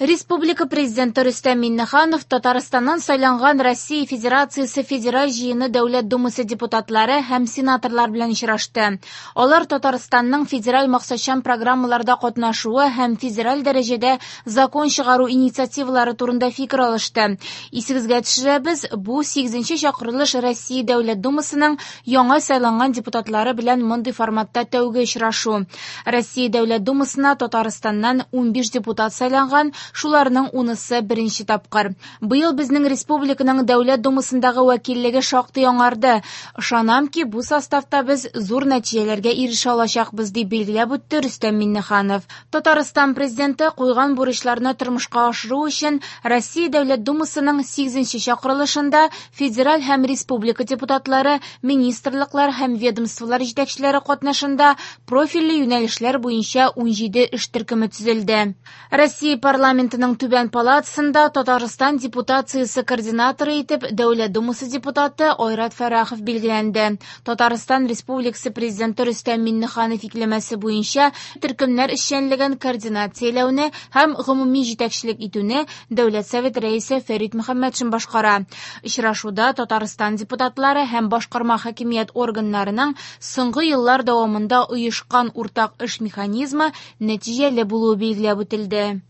Республика Президенты Рөстәм Миңнеханов Татарстаннан сайланган Россия Федерациясе Федераль Җыены Дәүләт Думасы депутатлары һәм сенаторлар белән очрашты. Алар Татарстанның федераль максатчан программаларда катнашуы һәм федераль дәрәҗәдә закон чыгару инициативалары турында фикер алышты. Исегезгә төшерәбез, бу 8 чакырылыш Россия Дәүләт Думасының яңа сайланган депутатлары белән мондый форматта тәүге очрашу. Россия Дәүләт Думасына Татарстаннан 15 депутат сайланган, шуларның унысы беренче тапкыр. Быел безнең республиканың Дәүләт Думасындагы вәкиллеге шактый яңарды. Ышанам ки, бу составта без зур нәтиҗәләргә ирешә алачакбыз, дип билгеләп үтте Рөстәм Миңнеханов. Татарстан президенты куйган бурычларны тормышка ашыру өчен Россия Дәүләт Думасының 8 чакырылышында федераль һәм республика депутатлары, министрлыклар һәм ведомстволар җитәкчеләре катнашында профильле юнәлешләр буенча 17 эш төркеме төзелде. Россия парламентының түбән палатасында Татарстан депутациясе координаторы итеп Дәүләт Думасы депутаты Айрат Фәррахов билгеләнде. Татарстан Республикасы Президенты Рөстәм Миңнеханов йөкләмәсе буенча төркемнәр эшчәнлеген координацияләүне һәм гомуми җитәкчелек итүне Дәүләт Советы рәисе Фәрит Мөхәммәтшин башкара. Очрашуда Татарстан депутатлары һәм башкарма хакимият органнарының соңгы еллар дәвамында оешкан уртак эш механизмы нәтиҗәле булуы билгеләп үтелде.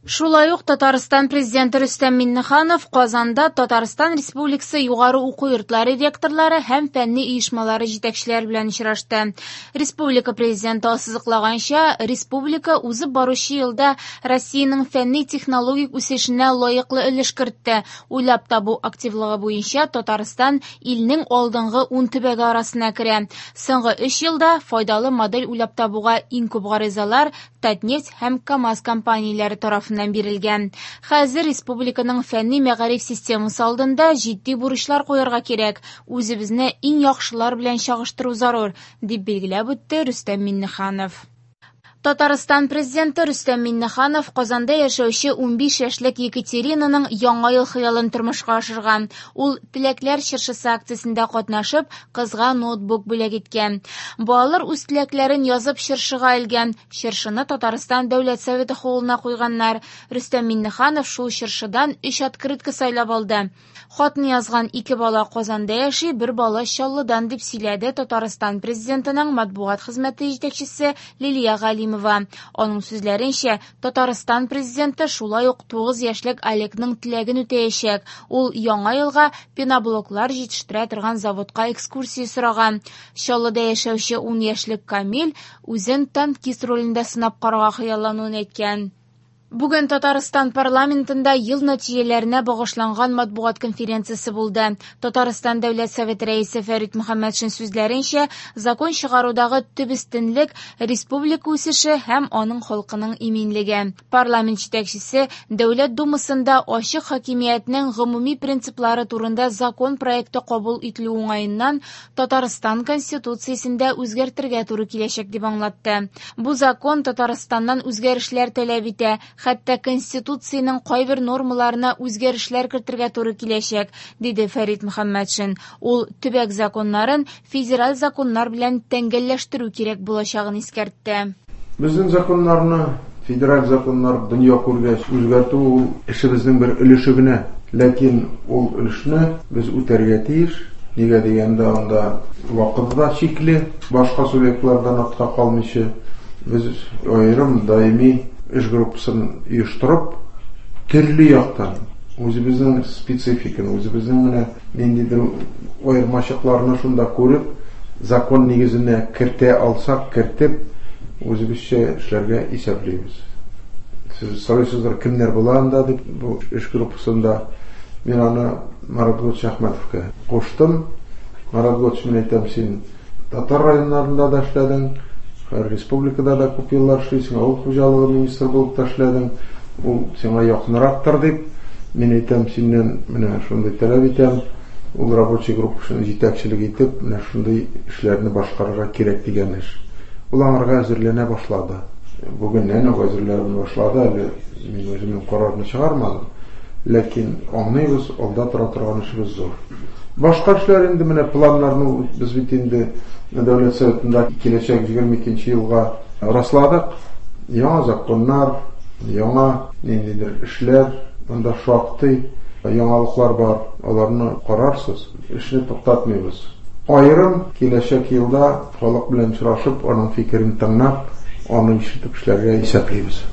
Шулай ук Татарстан Президенты Рөстәм Миңнеханов Казанда Татарстан Республикасы югары уку йортлары ректорлары һәм фәнни оешмалары җитәкчеләре белән очрашты. Республика Президенты ассызыклаганча, республика узып баручы елда Россиянең фәнни-технологик үсешенә лаеклы өлеш кертте. Уйлап табу активлыгы буенча Татарстан илнең алдынгы 10 төбәге арасына керә. Соңгы 3 елда файдалы модель уйлап табуга иң күп гаризалар Татнефть һәм КАМАЗ компанияләре тарафыннан бирелгән. Хәзер республиканың фәнни мәгариф системасы алдында җитди бурычлар куярга кирәк. Үзебезне иң яхшылар белән чагыштыру зарур, дип билгеләп үтте Рөстәм Миңнеханов. Татарстан президенты Рөстәм Миңнеханов Казанда яшәүче 15 яшьлек Екатеринаның яңа ел хыялын тормышка ашырган. Ул Теләкләр чыршысы акциясендә катнашып, кызга ноутбук бүләк иткән. Балалар үз теләкләрен язып чыршыга элгән. Чыршыны Татарстан Дәүләт Советы холлына куйганнар. Рөстәм Миңнеханов шул чыршыдан 3 открытка сайлап алды. Хатны язган 2 бала Казанда яши, бер бала Чаллыдан, дип сөйләде Татарстан президентының матбугат хезмәте җитәкчесе Лилия Галимова. Аның сүзләренчә, Татарстан президенты шулай ук 9 яшьлек Олегның теләген үтәячәк. Ул яңа елга пеноблоклар җитештерә торган заводка экскурсия сораган. Чаллыда яшәүче 10 яшьлек Камил үзен танкист ролендә сынап карарга хыяллануын әйткән. Бүген Татарстан парламентында ел нәтиҗәләренә багышланган матбугат конференциясе булды. Татарстан Дәүләт Советы рәисе Фәрит Мөхәммәтшин сүзләренчә, закон чыгарудагы төп өстенлек республика үсеше һәм аның халкының иминлеге. Парламент җитәкчесе Дәүләт Думасында ачык хакимиятнең гомуми принциплары турында закон проекты кабул ителү уңаеннан Татарстан Конституциясендә үзгәртергә туры киләчәк дип аңлатты. Бу закон Татарстаннан үзгәрешләр таләп итә, хәтта Конституциянең кайбер нормаларына үзгәрешләр кертергә туры киләчәк, диде Фәрит Мөхәммәтшин. Ул төбәк законнарын федераль законнар белән тәңгәлләштерү кирәк булачагын искәртте. Безнең законнарны федераль законнар дөнья күргәч үзгәртү ул эшебезнең бер өлеше генә. Ләкин ул өлешне без үтәргә тиеш. Нигә дигәндә, анда вакыты да чикле, башка субъектлардан артка калмыйча без аерым даими эш группасын оештырып, төрле яктан үзебезнең спецификаны, үзебезнең менә ниндидер аермачыкларны шунда күреп, закон нигезенә кертә алсак, кертеп, үзебезчә эшләргә исәплибез. Сез сорыйсыздыр, кемнәр була анда дип, бу эш группасында мин аны Марат Готович Әхмәтовка куштым. Марат Готович, мин әйтәм, син татар районнарында да эшләдең, республикада да күп еллар эшлисең, авыл хуҗалыгы министры булып та эшләдең, ул сиңа якынрактыр дип, мин әйтәм, синнән менә шундый таләп итәм, ул рабочий группасын җитәкчелек итеп, менә шундый эшләрне башкарырга кирәк дигән эш. Ул аңарга әзерләнә башлады. Бүгеннән үк әзерләнә башлады, әле мин үземнең карарны чыгармадым. Ләкин аңлыйбыз, алда тора торган эшебез зур. Башка эшләр инде менә планнарны без бит инде Дәүләт Советында киләчәк 22 елга расладык. Яңа законнар, Яңа ниндидер эшләр, анда шактый яңалыклар бар, аларны карарсыз. Эшне туктатмыйбыз. Аерым киләчәк елда халык белән очрашып, аның фикерен тыңлап, аны ишетеп эшләргә исәплибез.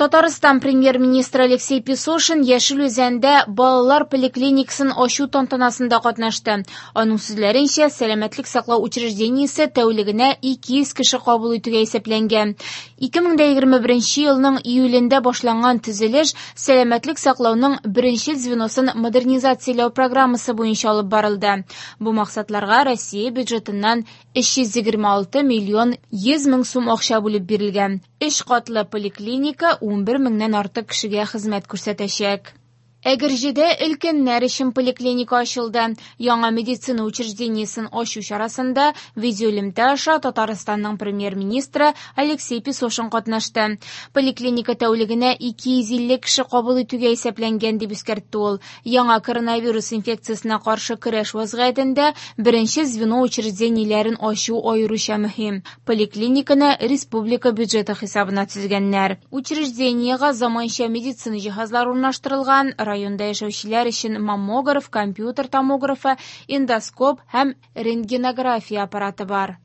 Татарстан премьер-министры Алексей Песошин Яшел Үзәндә балалар поликлиникасын ачу тантанасында катнашты. Аның сүзләренчә, сәламәтлек саклау учреждениесе тәүлегенә 200 кеше кабул итүгә исәпләнгән. 2021 елның июлендә башланган төзелеш сәламәтлек саклауның беренче звеносын модернизацияләү программасы буенча алып барылды. Бу максатларга Россия бюджетыннан 326 миллион 100 мең сум акча бүлеп бирелгән. Өч катлы поликлиника 11 меңнән артык кешегә хезмәт күрсәтәчәк. Әгерҗедә өлкәннәр өчен поликлиника ачылды. Яңа медицина учреждениесен ачу чарасында видеоэлемтә аша Татарстанның премьер-министры Алексей Песошин катнашты. Поликлиника тәүлегенә 250 кеше кабул итүгә исәпләнгән, дип искәртте ул. Яңа коронавирус инфекциясенә каршы көрәш вазгыятендә беренче звено учреждениеләрен ачу аеруча мөһим. Поликлиниканы республика бюджеты хисабына төзегәннәр. Учреждениегә заманча медицина җиһазлары урнаштырылган, районда яшәүчеләр өчен маммограф, компьютер томографы, эндоскоп һәм рентгенография аппараты бар.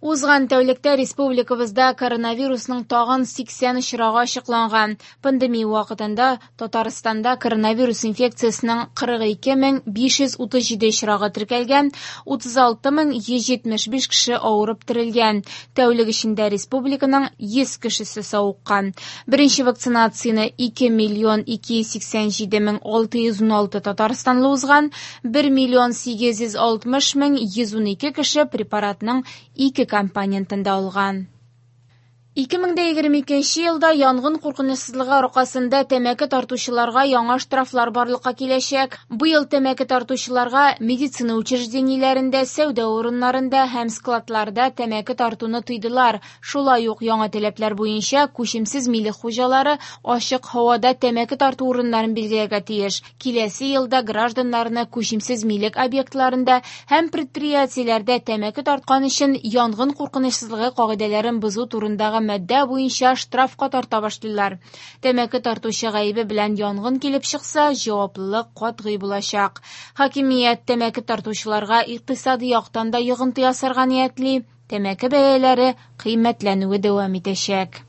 Узган тәүлектә республикабызда коронавирусның тагын 80 очрагы ачыкланган. Пандемия вакытында Татарстанда коронавирус инфекциясенең 42 537 очрагы теркәлгән, 36 175 кеше авырып терелгән. Тәүлек эчендә республиканың 100 кешесе савыккан. Беренче вакцинацияне 2 миллион 287 мең 616 татарстанлы узган, 1 миллион 860 мең 112 кеше препаратның ике компонентын да алган. 2022 елда янгын куркынычсызлыгы аркасында тәмәке тартучыларга яңа штрафлар барлыкка киләчәк. Быел тәмәке тартучыларга медицина учреждениеләрендә, сәүдә урыннарында һәм складларда тәмәке тартуны тыйдылар. Шулай ук яңа таләпләр буенча күчемсез милек хуҗалары ачык һавада тәмәке тарту урыннарын билгеләргә тиеш. Киләсе елда гражданнарны күчемсез милек объектларында һәм предприятиеләрдә тәмәке тарткан өчен янгын куркынычсызлыгы кагыйдәләрен бозу турындагы маддә буенча штрафка тарта башлыйлар. Тәмәке тартучы гаебе белән янгын килеп чыкса, җаваплылык катгый булачак. Хакимият тәмәке тартучыларга икътисади яктан да йогынты ясарга ниятли. Тәмәке бәяләре кыйммәтләнүе дәвам итәчәк.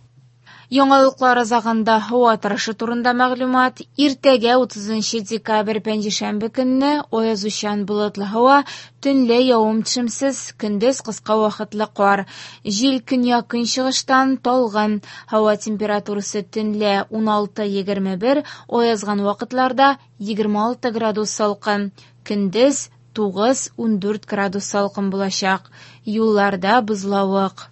Яңалыклар азагында һава торышы турында мәгълүмат. Иртәгә 30 декабрь пәнҗешәмбе көнне аязучан болытлы һава, төнлә явым-төшемсез, көндез кыска вакытлы кар. Җил көньяк-көнчыгыштан талгын. Һава температурасы төнлә 16-21, аязган вакытларда 26 градус салкын. Көндез 9-14 градус салкын булачак. Юлларда бозлавык.